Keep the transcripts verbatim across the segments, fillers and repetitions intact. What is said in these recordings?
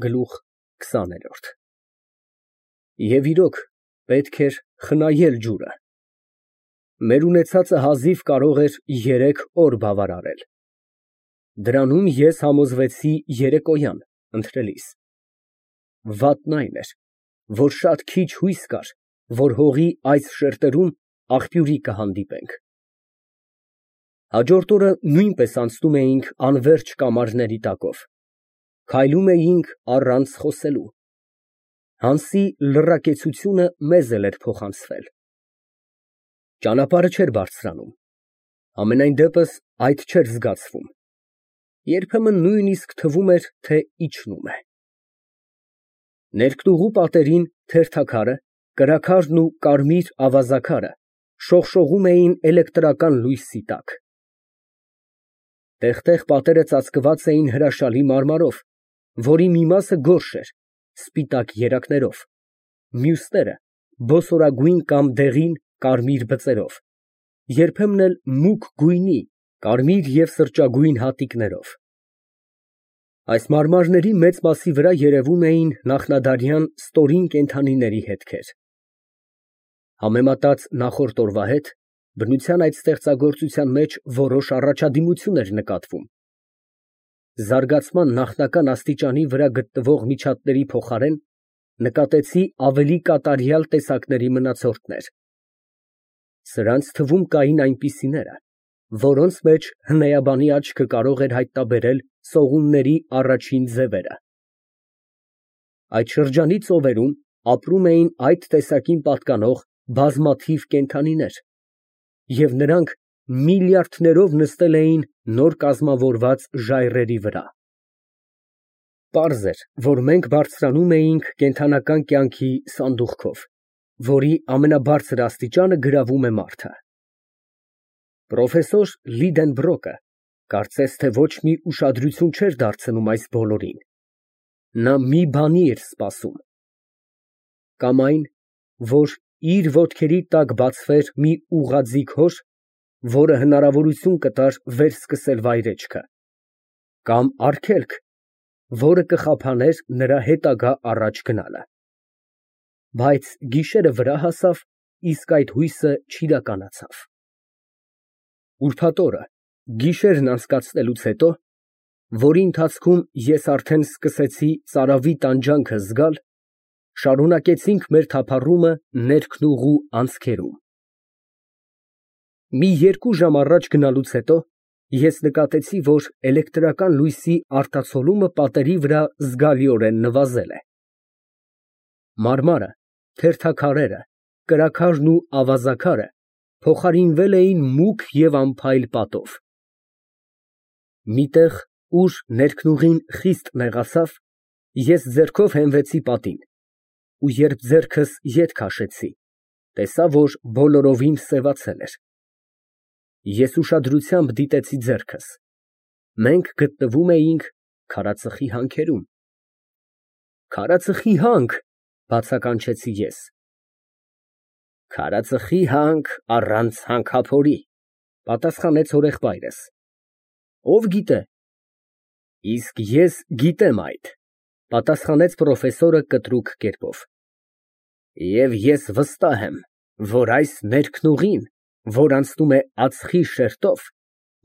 Գլուխ քսաներորդ Եվ իրոք, պետք էր խնայել ջուրը։ Մեր ունեցածը հազիվ կարող էր երեք օր բավարարել։ Դրանում ես համոզվեցի երեկոյան ընթրելիս։ Վատն այն էր, որ շատ քիչ հույս կար, որ հողի այս շերտերում աղբյուրի կհանդիպենք։ Հաջորդ օրը նույնպես անցնում էինք անվերջ կամարների տակով, քայլում էինք առանց խոսելու։ Հանսի լռակեցությունը մեզ էլ էր փոխանցվել։ Ճանապարհը չէր բարձրանում, համենայն դեպս այդ չէր զգացվում, երբեմն նույնիսկ թվում էր, թե իջնում է։ Ներկտուղու պատերին թերթաքարը, կրաքարն ու կարմիր ավազաքարը շողշողում էին էլեկտրական լույսի տակ։ Տեղ֊տեղ պատերը ծածկված էին հրաշալի մարմարով, որի մի մասը գորշ էր, սպիտակ երակներով, մյուսները բոսորագույն կամ դեղին կարմիր բծերով, երբեմն էլ մուգ գույնի, կարմիր և սրճագույն հատիկներով։ Այս մարմարների մեծ մասի վրա երևում էին նախնադարյան ստորին կենդանիների հետքեր։ Համեմատած նախորդ օրվա հետ, բնության այդ ստեղծագործության մեջ որոշ առաջադիմություն էր նկատվում։ Զարգացման նախնական աստիճանի վրա գտնվող միջատների փոխարեն նկատեցի ավելի կատարյալ տեսակների մնացորդներ։ Սրանց թվում կային այնպիսիները, որոնց մեջ հնեյաբանի աչքը կարող էր հայտնաբերել սողունների առաջին ձևերը։ Այդ շրջանի ծովերում ապրում էին այդ տեսակին պատկանող բազմաթիվ կենդանիներ, և նրանք միլիարդներով նստել էին նոր կազմավորված ժայռերի վրա։ Պարզ էր, որ մենք բարձրանում էինք կենդանական կյանքի սանդուղքով, որի ամենաբարձր աստիճանը գրավում է մարդը։ Պրոֆեսոր Լիդենբրոկը կարծես թե ոչ մի ուշադրություն չէր դարձնում այս բոլորին։ Նա մի բանի էր սպասում։ Կամ այն, որ իր ոտքերի տակ բացվեր մի ուղղաձիգ հոր, որը հնարավորություն կտար վերսկսել վայրեջքը, կամ արգելք, որը կխափաներ նրա հետագա առաջ գնալը։ Բայց գիշերը վրա հասավ, իսկ այդ հույսը չիրականացավ։ Ուրբաթ օրը, գիշերն անցկացնելուց հետո, որի ընթացքում ես արդեն սկսեցի ծարավի տանջանքը զգալ, շարունակեցինք մեր թափառումը ներքնուղու անցքերում։ Մի երկու ժամ առաջ գնալուց հետո ես նկատեցի, որ էլեկտրական լույսի արտացոլումը պատերի վրա զգալիորեն նվազել է։ Մարմարը, թերթաքարերը, կրաքարն ու ավազաքարը փոխարինվել էին մուգ և անփայլ պատով։ Մի տեղ, ուր ներքնուղին խիստ նեղացավ, ես ձեռքով հենվեցի պատին, ու երբ ձեռքս ետ քաշեցի, տեսա, որ բոլորովին սևացել էր։ Ես ուշադրությամբ դիտեցի ձեռքս. մենք գտնվում էինք քարածխի հանքերում։ Քարածխի հանք, բացականչեցի ես։ Քարածխի հանք առանց հանքափորի, պատասխանեց հորեղբայրս։ Ով գիտե։ Իսկ ես գիտեմ այդ, պատասխանեց պրոֆեսորը կտրուկ կերպով։ Եվ ես վստահ եմ, որ այս ներքնուղին, որ անցնում է ածխի շերտով,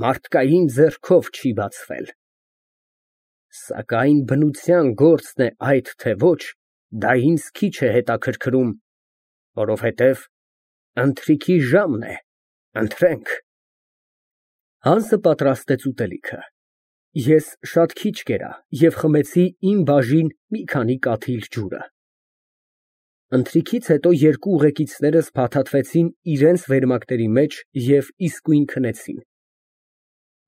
մարդկային ձեռքով չի բացվել։ Սակայն բնության գործն է այդ թե ոչ, դա ինձ քիչ է հետաքրքրում, որովհետև ընթրիքի ժամն է, ընթրենք։ Հանսը պատրաստեց ուտելիքը։ Ես շատ քիչ կերա և խմեցի իմ բաժին մի քանի կաթիլ ջուրը։ Ընթրիքից հետո երկու ուղեկիցներս փաթաթվեցին իրենց վերմակների մեջ և իսկույն քնեցին։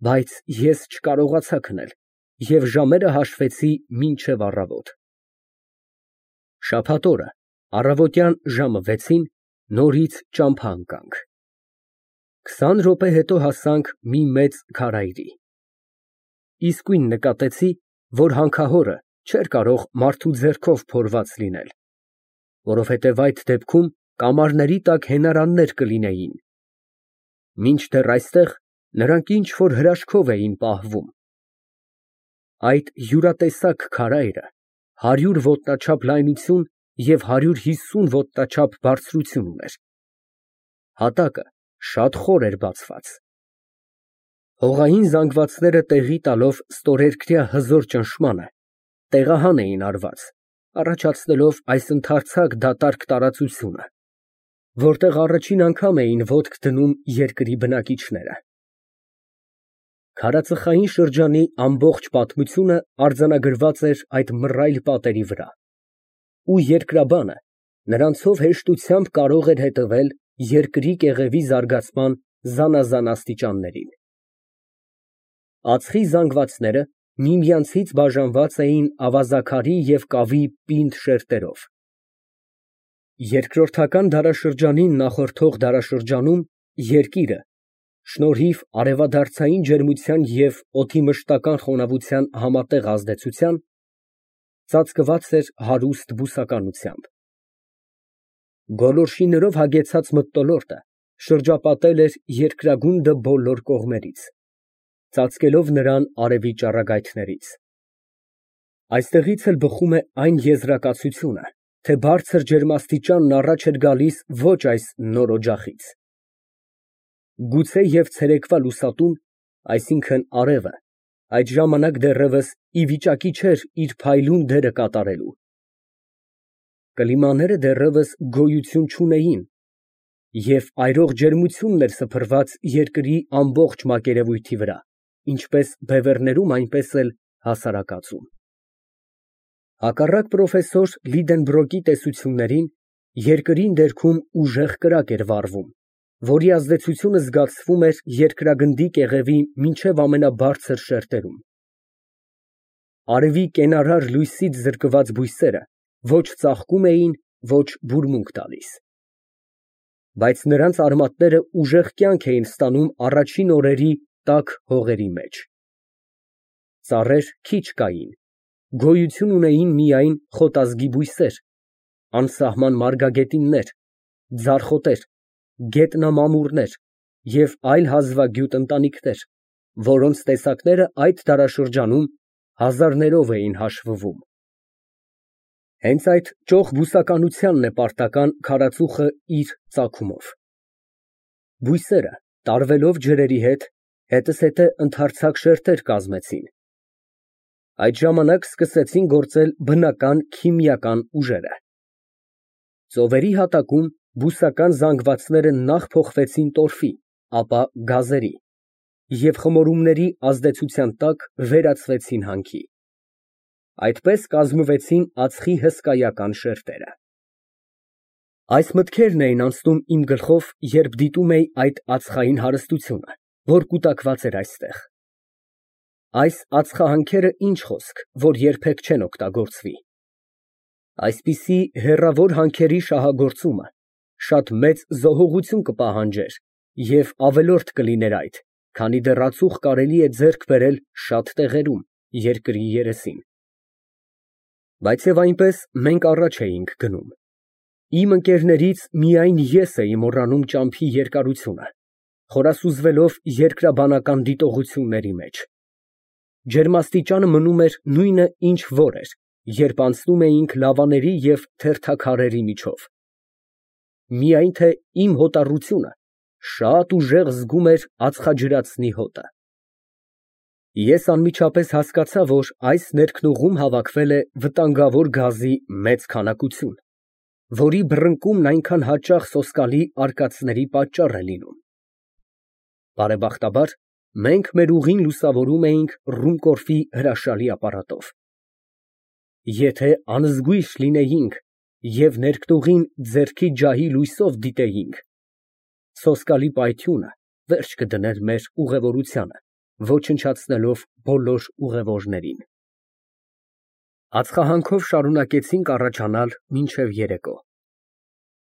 Բայց ես չկարողացա քնել և ժամերը հաշվեցի մինչև առավոտ։ Շաբաթ օրը առավոտյան ժամը վեցին նորից ճամփա ընկանք։ Քսան րոպե հետո հասանք մի մեծ քարայրի։ Իսկույն նկատեցի, որ հանքահորը չէր կարող մարդու ձեռքով փորված լինել, որովհետև այդ դեպքում կամարների տակ հենարաններ կլինեին։ Մինչդեռ այստեղ նրանք ինչ֊որ հրաշքով էին պահվում։ Այդ յուրատեսակ քարայրը հարյուր ոտնաչափ լայնություն և հարյուր հիսուն ոտնաչափ բարձրություն ուներ։ Հատակը շատ խոր էր բացված։ Հողային զանգվածները տեղի տալով ստորերկրյա հզոր ճնշմանը, տեղահան էին արված, առաջացնելով այս ընդարձակ դատարկ տարածությունը, որտեղ առաջին անգամ էին ոտք դնում երկրի բնակիչները։ Քարածխային շրջանի ամբողջ պատմությունը արձանագրված էր այդ մռայլ պատերի վրա, ու երկրաբանը նրանցով հեշտությամբ կարող էր հետևել երկրի կեղևի զարգացման զանազան աստիճաններին։ Ածխի զանգվածները միմյանցից բաժանված էին ավազաքարի և կավի պինդ շերտերով։ Երկրորդական դարաշրջանին նախորդող դարաշրջանում երկիրը, շնորհիվ արևադարձային ջերմության և օդի մշտական խոնավության համատեղ ազդեցության, ծածկված էր հարուստ բուսականությամբ։ Գոլորշիներով հագեցած մթնոլորտը շրջապատել էր երկրագունդը բոլոր կողմերից, ծածկելով նրան արևի ճառագայթներից։ Այստեղից էլ բխում է այն եզրակացությունը, թե բարձր ջերմաստիճանն առաջ էր գալիս ոչ այս նոր օջախից։ Գուցե և ցերեկվա լուսատուն, այսինքն արևը, այդ ժամանակ դեռևս ի վիճակի չէր իր փայլուն դերը կատարելու։ Կլիմաները դեռևս գոյություն չունեին, և այրող ջերմությունն էր սփռված երկրի ամբողջ մակերևույթի վրա, ինչպես բևեռներում, այնպես էլ հասարակածում։ Հակառակ պրոֆեսոր Լիդենբրոկի տեսություններին, երկրի ներքում ուժեղ կրակ էր վառվում, որի ազդեցությունը զգացվում էր երկրագնդի կեղևի մինչև ամենաբարձր շերտերում։ Արևի կենարար լույսից զրկված բույսերը ոչ ծաղկում էին, ոչ բուրմունք տալիս։ Բայց նրանց արմատները ուժեղ կյանք էին ստանում առաջին օրերի տաք հողերի մեջ։ Ծառեր քիչ կային, գոյություն ունեին միայն խոտազգի բույսեր, անսահման մարգագետիններ, ձարխոտեր, գետնամամուրներ և այլ հազվագյուտ ընտանիքներ, որոնց տեսակները այդ դարաշրջանում հազարներով էին հաշվվում։ Հենց այդ ճոխ բուսականությանն է պարտական քարածուխը իր ծագումով։ Բույսերը, տարվելով ջրերի հետ, հետզհետե ընդարձակ շերտեր կազմեցին։ Այդ ժամանակ սկսեցին գործել բնական քիմիական ուժերը։ Ծովերի հատակում բուսական զանգվածները նախ փոխվեցին տորֆի, ապա գազերի և խմորումների ազդեցության տակ վերածվեցին հանքի։ Այդպես կազմվեցին ածխի հսկայական շերտերը։ Այս մտքերն էին անցնում իմ գլխով, երբ դիտում էի այդ ածխային հարստությունը, որ կուտակված էր այստեղ։ Այս ածխահանքերը ինչ խոսք, որ երբեք չեն օգտագործվի։ Այսպիսի հեռավոր հանքերի շահագործումը շատ մեծ զոհողություն կպահանջեր և ավելորդ կլիներ այդ, քանի դեռ ածուխ կարելի է ձեռք բերել շատ տեղերում երկրի երեսին։ Բայց և այնպես մենք առաջ էինք գնում։ Իմ ընկերներից միայն ես էի մոռանում ճամփի երկարությունը, խորասուզվելով երկրաբանական դիտողությունների մեջ։ Ջերմաստիճանը մնում էր նույնը, ինչ որ էր, երբ անցնում էինք լավաների և թերթաքարերի միջով։ Միայն թե իմ հոտառությունը շատ ուժեղ զգում էր ածխաջրածնի հոտը։ Ես անմիջապես հասկացա, որ այս ներքնուղում հավաքվել է վտանգավոր գազի մեծ քանակություն, որի բռնկումն այնքան հաճախ սոսկալի արկածների պատճառ է լինում։ Բարեբախտաբար, մենք մեր ուղին լուսավորում էինք Ռումկորֆի հրաշալի ապարատով։ Եթե անզգույշ լինեինք և ներքնուղին ձեռքի ջահի լույսով դիտեինք, սոսկալի պայթյունը վերջ կդներ մեր ուղևորությանը, ոչնչացնելով բոլոր ուղևորներին։ Ածխահանքով շարունակեցինք առաջանալ մինչև երեկո։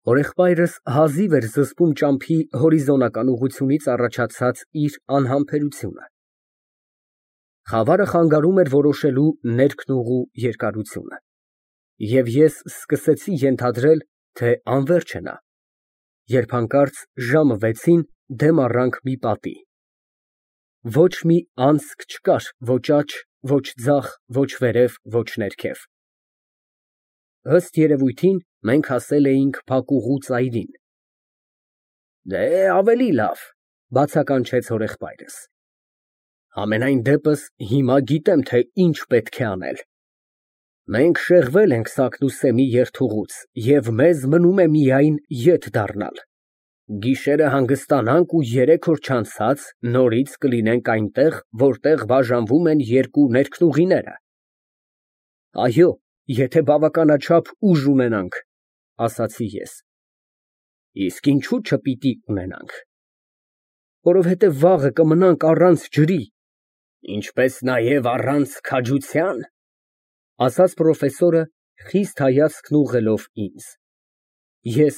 Հորեղբայրս հազիվ էր զսպում ճամփի հորիզոնական ուղղությունից առաջացած իր անհամբերությունը։ Խավարը խանգարում էր որոշելու ներքնուղու երկարությունը, և ես սկսեցի ենթադրել, թե անվերջ է նա, երբ հանկարծ ժամը վեցին դեմ առանք մի պատի։ Ոչ մի անցք չկար ոչ աջ, ոչ ձախ, ոչ վերև, ոչ ներքև։ Ըստ երևույթին, մենք հասել էինք փակուղու ծայրին։ Դե, ավելի լավ, բացականչեց հորեղբայրս։ Համենայն դեպս, հիմա գիտեմ, թե ինչ պետք է անել։ Մենք շեղվել ենք Սատկուս֊Սեմի երթուղուց և մեզ մնում է միայն ետ դառնալ։ Գիշերը հանգստանանք ու երեք օր չանցած նորից կլինենք այնտեղ, որտեղ բաժանվում են երկու ներքնուղիները։ Այո, եթե բավականաչափ ուժ ունենանք, ասացի ես։ Իսկ ինչու չպիտի ունենանք։ Որովհետև վաղը կմնանք առանց ջրի, ինչպես նաև առանց քաջության, ասաց պրոֆեսորը, խիստ հայացքն ուղղելով ինձ։ Ես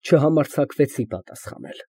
չհամարձակվեցի պատասխանել։